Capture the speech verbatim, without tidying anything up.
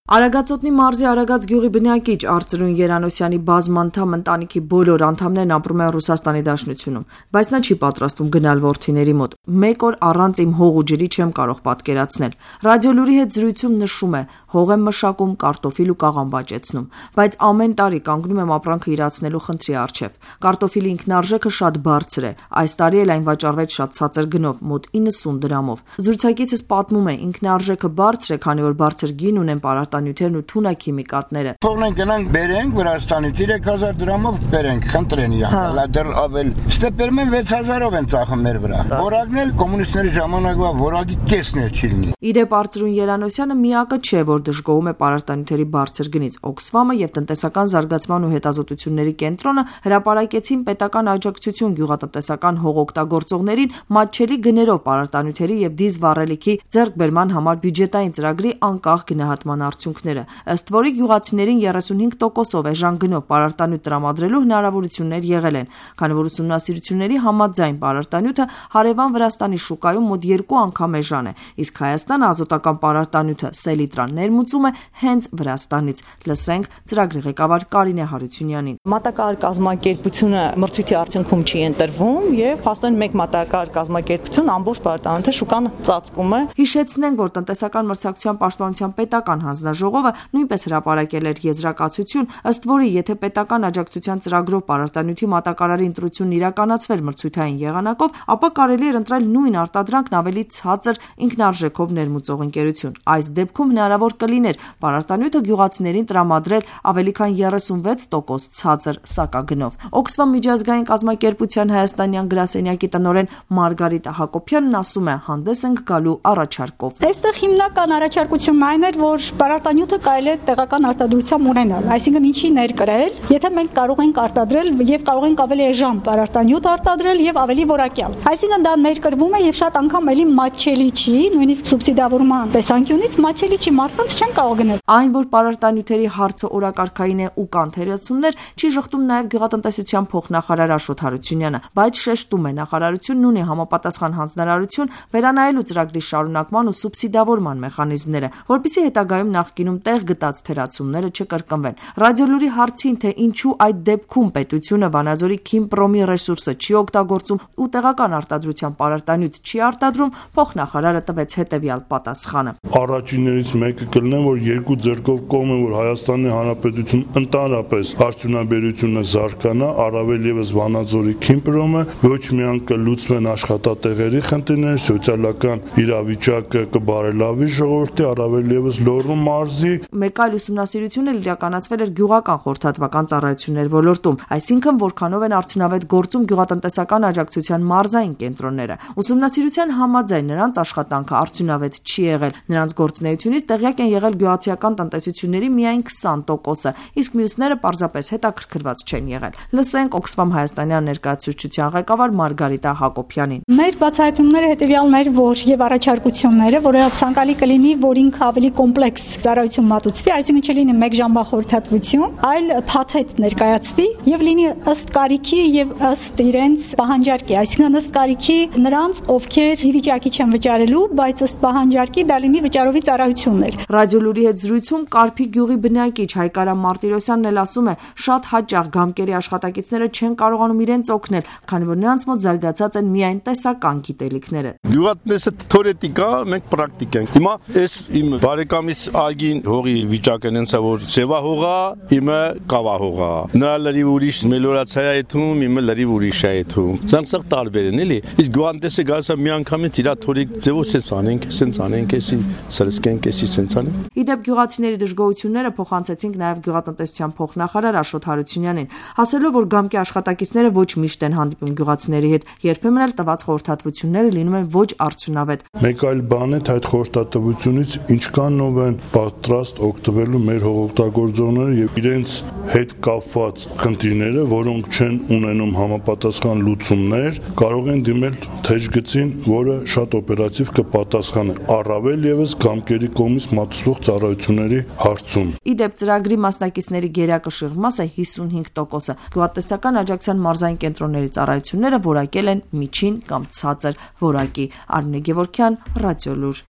Արագածոտնի մարզի Արագած գյուղի բնակիչ Արծրուն Երանոսյանի բազմանդամ ընտանիքի բոլոր անդամներն ապրում են Ռուսաստանի Դաշնությունում, բայց նա չի պատրաստվում գնալ որդիների մոտ։ Մեկ օր առանց իմ հող ու ջրի չեմ կարող պատկերացնել։ Ռադիոլուրի հետ զրույցում նշում է՝ հող եմ մշակում, կարտոֆիլ ու կաղամ բաճեցնում, բայց ամեն տարի կանգնում եմ ապրանքը իրացնելու խնդրի առջև։ Կարտոֆիլի ինքնարժեքը շատ բարձր է, այս տարի էլ այն վաճառվեց շատ ցածր գնով, մոտ իննսուն դրամով։ Զրուցակիցս պատմում է՝ ինքնարժեքը բարձր է, քանի որ բարձր գին ունեն պարարտանյութերն ու թունաքիմիկատները։ Թողնենք գնանք բերենք Վրաստանից երեք հազար դրամով բերենք, խնդրեն իրանք, դեռ ավել։ Ստեպերում են վեց հազարով են ծախում մեր վրա։ Որակն էլ կոմունիստների ժամանակվա որակի կեսն էլ չի լինի։ Իդեպ Արծրուն Երանոսյանը միակը չէ, որ դժգոհում է պարարտանյութերի բարձր գնից։ Օքսֆամը եւ տնտեսական զարգացման ու հետազոտությունների կենտրոնը հրապարակեցին պետական աջակցություն գյուղատնտեսական հող օգտագործողներին մատչելի գներով պարարտանյութերի եւ դիզ վառելիքի ձեռքբերման համար բյուջետային ծրագրի անկախ գնահատման արդյունքները, ըստ որի գյուղացիներին երեսունհինգ տոկոսով էժան գնով պարարտանյութ տրամադրելու հնարավորություններ եղել են, քանի որ ուսումնասիրությունների համաձայն պարարտանյութը հարևան Վրաստանի շուկայում մոտ երկու անգամ էժան է, իսկ Հայաստանը ազոտական պարարտանյութը սելիտրան ներմուծում է հենց Վրաստանից։ Լսենք ծրագրի ղեկավար Կարինե Հարությունյանին։ Մատակարար կազմակերպությունը մրցույթի արդյունքում չի ընտրվում եւ հաստատեն մեկ մատակարար կազմակերպություն ամբողջ պարարտանյութը շուկան ծածկում է։ Հիշեցնենք, որ տնտեսական մրցակցության պաշտպանության պետական հանձնաժողովը նույնպես հրապարակել էր եզրակացություն, ըստ որի եթե պետական աջակցության ծրագրով պարարտանյութի մատակարարի ընտրությունն իրականացվեր մրցութային եղանակով, ապա կարելի էր ընտրել նույն արտադրանքն ավելի ցածր ինքնարժեքով ներմուծող ընկերություն։ Այս դեպքում հնարավոր կլիներ պարարտանյութը գյուղացիներին տրամադրել ավելի քան երեսունվեց տոկոս ցածր սակագնով։ Օքսֆամ միջազգային կազմակերպության հայաստանյան գրասենյակի տնօրեն Մարգարիտա Հակոբյանն ասում է՝ հանդես ենք գալու առաջարկով։ Այստեղ հիմնական առաջարկությունն այն էր, որ պարարտանյութը կարելի է տեղական արտադրությամբ ունենալ, այսինքն ինչի ներկրել, եթե մենք կարող ենք արտադրել եւ կարող ենք ավելի էժան պարարտանյութ արտադրել եւ ավելի որակյալ։ Այսինքն դա ներկրվում է եւ շատ անգամ էլի մատչելի չի, նույնիսկ սուբսիդավորման տեսանկյունից մատչելի չի, մարդկանց չեն կարող գնել։ Այն, որ պարարտանյութերի հարցը օրակարգային է ու կան թերացումներ, չի շղթում նաեւ գյուղատնտեսության փոխնախարար Աշոտ Հարությունյանը, բայց շեշտում է նախարարությունն ունի համապատասխան հանձնարարություն վերանայելու ծրագրի շարունակման ու սուբսիդավորման մեխանիզմները, որպեսզի հետագայում նախկինում տեղ գտած թերացումները չկրկնվեն։ Ռադիոլուրի հարցին, թե ինչու այդ դեպքում պետությունը Վանաձորի Քիմպրոմի ռեսուրսը չի օգտագործում ու տեղական արտադրության պարարտանյութ չի արտադրում, փոխնախարարը տվեց հետևյալ պատասխանը։ Առաջիններից մեկը կլինի, որ երկու ձեռքով կողմ է, որ Հայաստանի Հանրապետություն ընդհանրապես արդյունաբերությունը զարգանա, առավել եւս Վանաձորի Քիմպրոմը, ոչ միայն կլուծվեն աշխատատեղերի խնդիրները, սոցիալական իրավիճակը կբարելավի ժողովրդի, առավել եւս Լոռու մարզի։ Մեկ այլ ուսումնասիրություն էլ իրականացվել էր գյուղական խորհրդատվական ծառայություններ ոլորտում, այսինքն որքանով են արդյունավետ գործում գյուղատնտեսական աջակցության մարզային կենտրոնները։ Ուսումնասիրության համաձայն նրանց աշխատանքը արդյունավետ չի եղել, նրանց գործունեությունից տեղյակ են եղել գյուղացիական տնտեսությունների միայն քսան տոկոսը, իսկ մյուսները պարզապես հետաքրքրված չեն եղել։ Լսենք Օքսֆամ հայաստանյան ներկայացուցչության ղեկավար Մարգարիտա Հակոբյանին։ Մեր բացահայտումները հետևյալն էր, որ եւ առաջարկությունները, որովհետեւ ցանկալի կլինի, որ ինքը ավելի կոմպլեքս ծառայություն մատուցվի, այսինքն չլինի մեկ ժամվա խորհրդատվություն, այլ փաթեթ ներկայացվի եւ լինի ըստ կարիքի եւ ըստ իրենց պահանջարկի, այսինքն ըստ կարիքի նրանց, ովքեր ի վիճակի չեն վճարելու, բայց ըստ պահանջարկի դա լինի վճարովի ծառայություններ։ Ռադիոլուրի հետ զրույցում Կարփի գյուղի բնակիչ Հայկարամ Մարտիրոսյանն էլ ասում է, շատ հաճախ գամկերի աշխատակիցները չեն կարողանում իրենց օգնել, քանի որ նրանց մոտ զարգացած են միայն տեսական գիտելիքները։ Գյուղատնտեսը թեորետիկա, մենք պրակտիկ ենք։ Հիմա այս իմ բարեկամիս ագին հողի վիճակը նենց է, որ սևա հողա, իմը կավա հողա։ Նրա լրիվ ուրիշ մելորացիա է թվում, իմը լրիվ ուրիշ է թվում։ Սրանք սա տարբեր են, էլի։ Իսկ գյուղատնտեսը գալիս է մի անգամից իր թորիկ ձևով սենց անենք, սենց անենք, էսի սրսկենք, էսի սենց անենք։ Իդեպ գյուղացիների դժգոհությունները փոխանցեցինք նաև գյուղատնտեսության փոխնախարար Աշոտ Հարությունյանին, ասելով, որ գամկի աշխատակիցները ոչ միշտ են հանդիպում գյուղացիների հետ, երբեմն էլ տված խորհրդատվությունները լինում են ոչ արդյունավետ։ Մեկ այլ բան է, թե այդ խորհրդատվությունից ինչքանով են պատրաստ օգտվելու մեր հողօգտագործողները եւ իրենց հետ կապված խնդիրները, որոնք չեն ունենում համապատասխան լուծումներ, կարող են դիմել թեժգծին, որը շատ օպերատիվ կպատասխանի, առավել եւս գամկերի կողմից մատուցվող ծառայությունների հարցում։ Իդեպ ծրագրի մասնակիցների գերակշիռ մասը հիսունհինգ տոկոսը գյուղատնտեսական աջակցության մարզային կենտրոնների ծառայությունները որակել են միջին կամ ցածր որակի։ Արմինե Գևորգյան, Ռադիոլուր։